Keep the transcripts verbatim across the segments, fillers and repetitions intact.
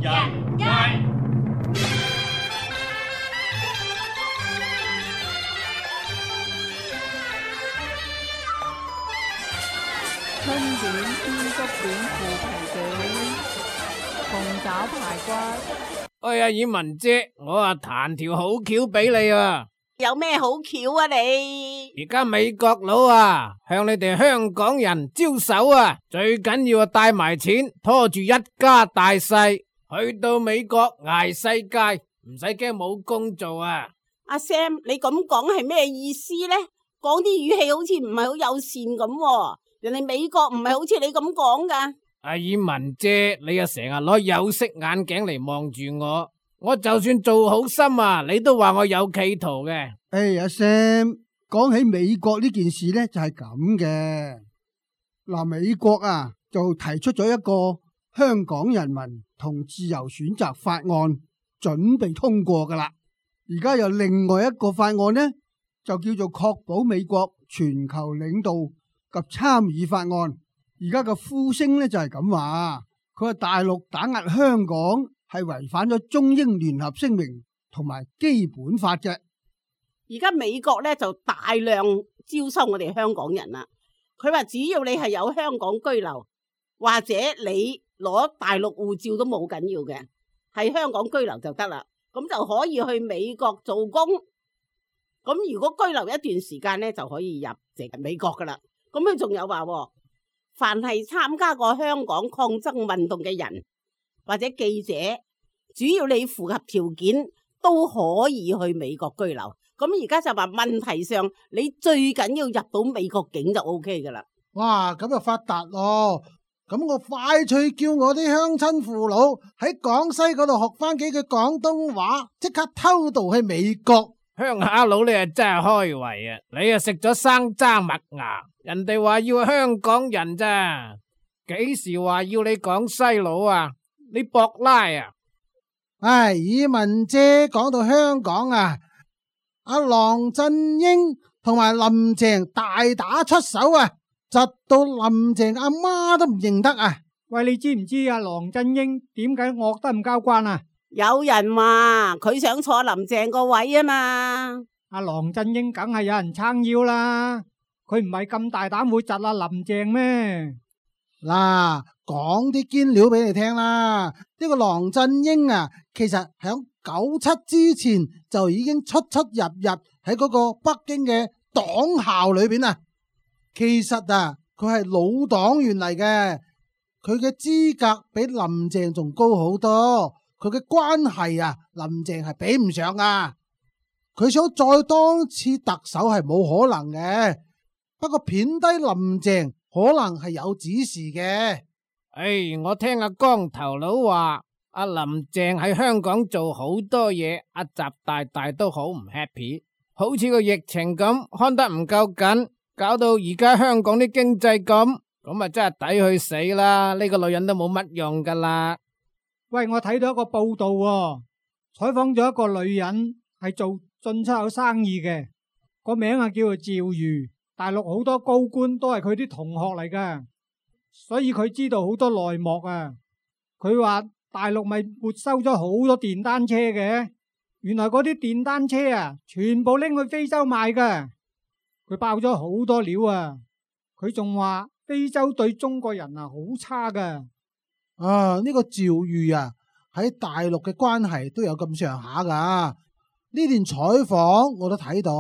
人街。春卷、煙竹卷、腐皮卷、鳳爪排骨。哎呀，爾文姐，我啊彈條好橋俾你啊！有咩好橋啊你？而家美國佬啊，向你哋香港人招手啊，最緊要啊帶埋錢，拖住一家大細去到美國捱世界，唔使驚冇工做啊！阿 Sam，你咁講係咩意思呢？講啲語氣好似唔係好友善咁，人哋美國唔係好似你咁講噶。阿爾文姐，你啊成日攞有色眼鏡嚟望住我，我就算做好心啊，你都話我有企圖嘅。哎，阿 Sam，講起美國呢件事呢，就係咁嘅。嗱，美國啊就提出咗一個香港人民同自由選擇法案，準備通過噶啦。而家有另外一個法案呢，就叫做確保美國全球領導及參與法案。而家嘅呼聲呢，就係咁話，佢話大陸打壓香港係違反咗中英聯合聲明同埋基本法嘅。而家美國咧就大量招收我哋香港人啦。佢話只要你係有香港居留，或者你攞大陸護照都冇緊要嘅，係香港居留就得啦。咁就可以去美國做工。咁如果居留一段時間咧，就可以入籍美國噶啦。咁佢仲有話，凡係參加過香港抗爭運動嘅人或者記者，只要你符合條件，都可以去美國居留。咁而家就話問題上，你最緊要入到美國境就 O K 噶啦。哇，咁就發達咯！咁我快脆叫我啲鄉親父老喺廣西嗰度學翻幾句廣東話，即刻偷渡去美國。鄉下佬你啊真係開胃啊！你啊食咗生渣麥芽，人哋話要香港人咋？幾時話要你廣西佬啊？你博拉啊？唉，爾文姐講到香港啊，阿郎振英同埋林鄭大打出手啊，窒到林鄭阿媽都唔認得啊！喂，你知唔知阿郎振英點解惡得咁交關啊？有人話佢想坐林鄭個位啊嘛。阿郎振英梗係有人撐腰啦，佢唔係咁大膽會窒阿林鄭咩？嗱，講啲堅料俾你聽啦。呢個郎振英啊，其實響九七之前就已經出出入入喺嗰個北京嘅黨校裏邊啊。其實啊，佢係老黨員嚟嘅，佢嘅資格比林鄭仲高好多。佢嘅關係啊，林鄭係比唔上啊。佢想再當次特首係冇可能嘅，不過貶低林鄭可能係有指示嘅。唉，我聽阿光頭佬話，阿林鄭喺香港做好多嘢，阿習大大都好唔 happy， 好似個疫情咁看得唔夠緊，搞到而家香港啲經濟咁，咁啊真係抵去死啦！呢個女人都冇乜用噶啦。喂，我睇到一個報道喎，採訪咗一個女人係做進出口生意嘅，個名啊叫做趙瑜，大陸好多高官都係佢啲同學嚟噶，所以佢知道好多內幕啊。佢話大陸咪沒收咗好多電單車嘅，原來嗰啲電單車啊，全部拎去非洲賣噶。佢爆咗好多料啊！佢仲話非洲對中國人啊好差噶。啊！呢、這個趙瑜啊，喺大陸嘅關係都有咁上下噶。呢段採訪我都睇到，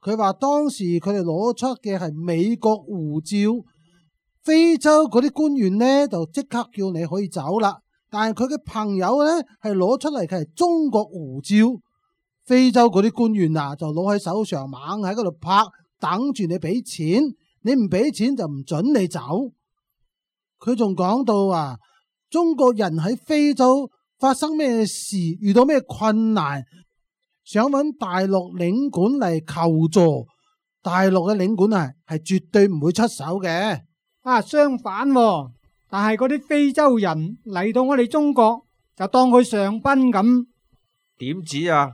佢話當時佢哋攞出嘅係美國護照，非洲嗰啲官員呢就即刻叫你可以走啦。但係佢嘅朋友呢係攞出嚟嘅係中國護照，非洲嗰啲官員啊就攞喺手上猛喺嗰度拍，等住你俾錢，你唔俾錢就唔准你走。佢仲講到啊，中國人喺非洲發生咩事，遇到咩困難，想揾大陸領館嚟求助，大陸嘅領館啊係絕對唔會出手嘅。啊，相反喎，但係嗰啲非洲人嚟到我哋中國就當佢上賓咁。點止啊？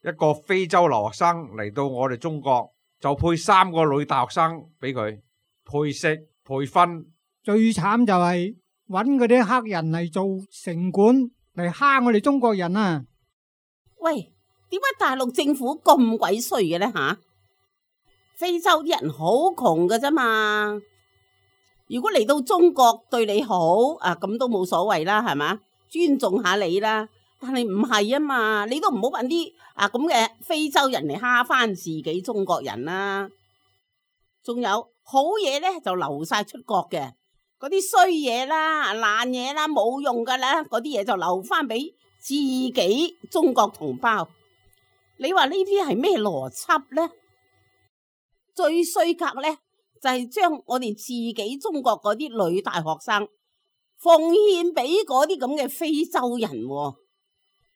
一個非洲留學生嚟到我哋中國就配三個女大學生俾佢配食配婚。最慘就係揾嗰啲黑人嚟做城管嚟蝦我哋中國人啊！喂，點解大陸政府咁鬼衰嘅呢？吓？非洲啲人好窮㗎啫嘛，如果嚟到中國對你好啊，咁都冇所謂啦，係嘛？尊重下你啦。但係唔係啊嘛，你都唔好搵啲啊咁嘅非洲人嚟蝦翻自己中國人啦。仲有好嘢咧就流晒出國嘅，嗰啲衰嘢啦、爛嘢啦、冇用噶啦，嗰啲嘢就留翻俾自己中國同胞。你話呢啲係咩邏輯咧？最衰格咧就係將我哋自己中國嗰啲女大學生奉獻俾嗰啲咁嘅非洲人喎。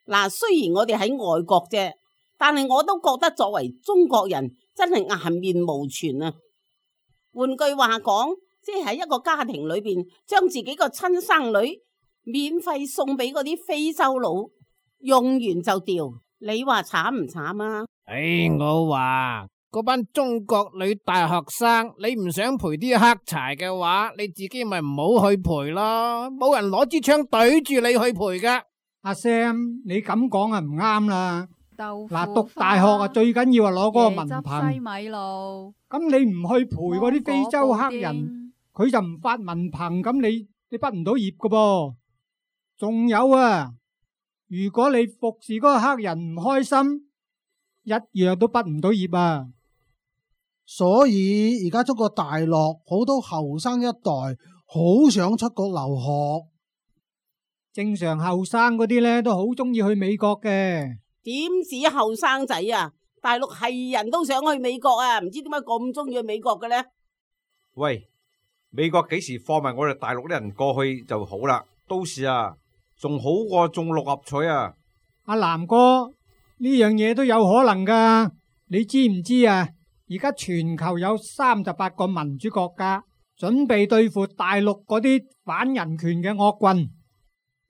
嗱，雖然我哋喺外國啫，但係我都覺得作為中國人真係顏面無存啊！換句話講，即係喺一個家庭裏邊，將自己個親生女免費送俾嗰啲非洲佬，用完就掉，你話慘唔慘啊？唉，我話嗰班中國女大學生，你唔想陪啲黑柴嘅話，你自己咪唔好去陪咯，冇人攞支槍對住你去陪噶。阿 Sam，你咁講啊唔啱啦。豆腐嗱，讀大學啊最緊要係攞嗰個文椰汁憑。西米露，咁你唔去陪嗰啲非洲黑人，人，佢就唔發文憑，咁你你畢唔到業噶噃。仲有啊，如果你服侍嗰個黑人唔開心，一樣都畢唔到業啊。所以而家中國大陸好多後生一代好想出國留學。正常後生嗰啲咧都好中意去美國嘅。點止後生仔啊？大陸係人都想去美國啊，唔知點解咁中意去美國嘅呢？喂，美國幾時放埋我哋大陸啲人過去就好啦？到時啊，仲好過中六合彩啊！阿南哥，呢樣嘢都有可能噶，你知唔知啊？而家全球有三十八個民主國家準備對付大陸嗰啲反人權嘅惡棍。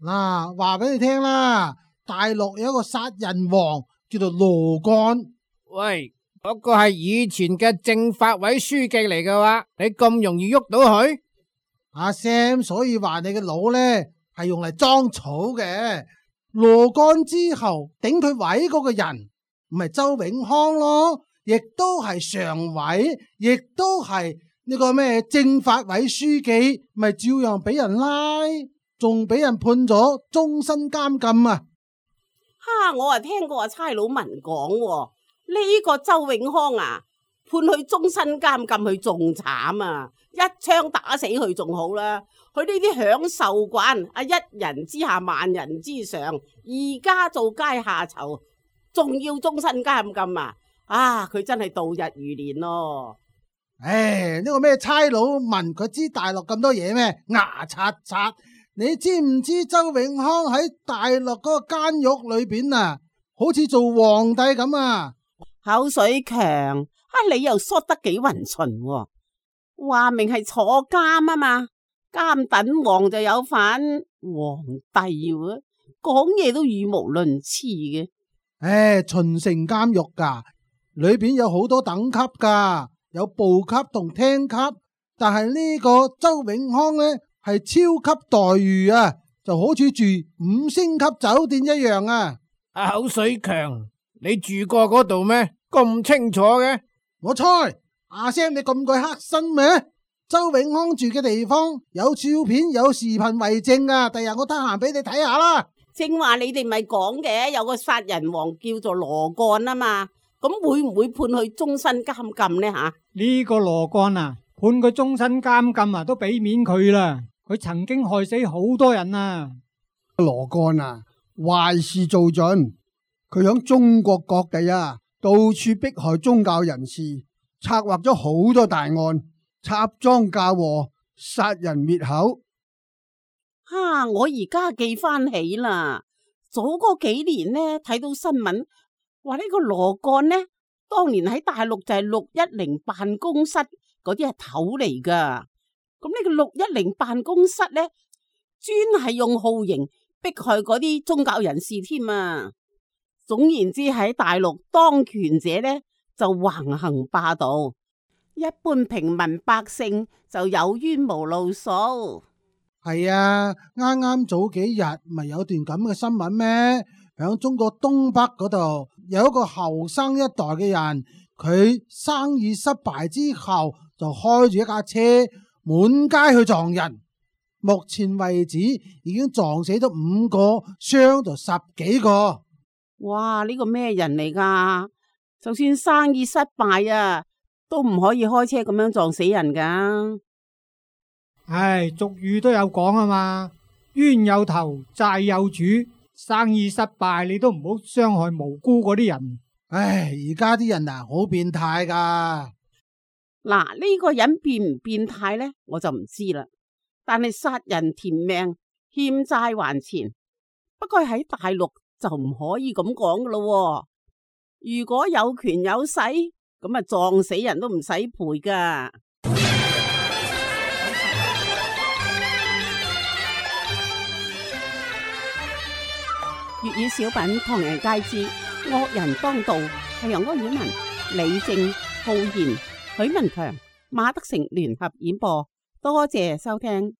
嗱，話俾你聽啦，大陸有一個殺人王叫做羅幹。喂，嗰個係以前嘅政法委書記嚟嘅話，你咁容易喐到佢？阿 Sam，所以話你嘅腦呢係用嚟裝草嘅。羅幹之後頂佢位嗰個人，唔係周永康咯，亦都係常委，亦都係呢個咩政法委書記，咪照樣俾人拉，仲俾人判咗終身監禁啊！哈！我啊聽過阿差佬文講，呢個周永康啊，判佢終身監禁，佢仲慘啊！一槍打死佢仲好啦。佢呢啲享受慣啊，一人之下萬人之上，而家做階下囚，仲要終身監禁啊！啊，佢真係度日如年咯。唉，呢個咩差佬問佢知大陸咁多嘢咩？牙刷刷！你知唔知周永康喺大陸嗰個監獄裏邊啊，好似做皇帝咁啊？口水強啊！你又縮得幾勻循喎？話明係坐監啊嘛，監躉王就有份，皇帝喎，講嘢都語無倫次嘅。唉，秦城監獄噶，裏邊有好多等級噶，有部級同廳級，但係呢個周永康呢，係超級待遇啊，就好似住五星級酒店一樣啊！阿口水強，你住過嗰度咩？咁清楚嘅？我猜阿 Sam 你咁鬼黑心咩？周永康住嘅地方有照片有視頻為證啊！第日我得閒俾你睇下啦。正話你哋咪講嘅，有個殺人王叫做羅幹啊嘛，咁會唔會判佢終身監禁呢？吓，呢個羅幹啊，判佢終身監禁啊，都俾面佢啦。佢曾經害死好多人啊！羅幹啊，壞事做盡，佢響中國各地啊，到處迫害宗教人士，策劃咗好多大案，插贓嫁禍，殺人滅口。哈！我而家記翻起啦，早嗰幾年呢，睇到新聞話呢個羅幹呢，當年喺大陸就係六一零辦公室嗰啲係頭嚟噶。咁呢個六一零辦公室呢，專係用酷刑迫害嗰啲宗教人士添啊！總言之，喺大陸當權者呢就橫行霸道，一般平民百姓就有冤無路訴。係啊，啱啱早幾日咪有段咁嘅新聞咩？響中國東北嗰度有一個後生一代嘅人，佢生意失敗之後就開住一架車滿街去撞人，目前為止已經撞死咗五個，傷咗十幾個。哇！呢個咩人嚟噶？就算生意失敗啊，都唔可以開車咁樣撞死人噶。唉，俗語都有講啊嘛，冤有頭，債有主。生意失敗，你都唔好傷害無辜嗰啲人。唉，而家啲人啊，好變態噶。嗱，呢個人變唔變態呢，我就唔知啦。但係殺人填命，欠債還錢，不過喺大陸就唔可以咁講噶咯。如果有權有勢，咁啊撞死人都唔使賠噶。粵語小品《唐人街之惡人當道》係由安婉文、李正、浩然、許文強、馬德成聯合演播，多謝收聽。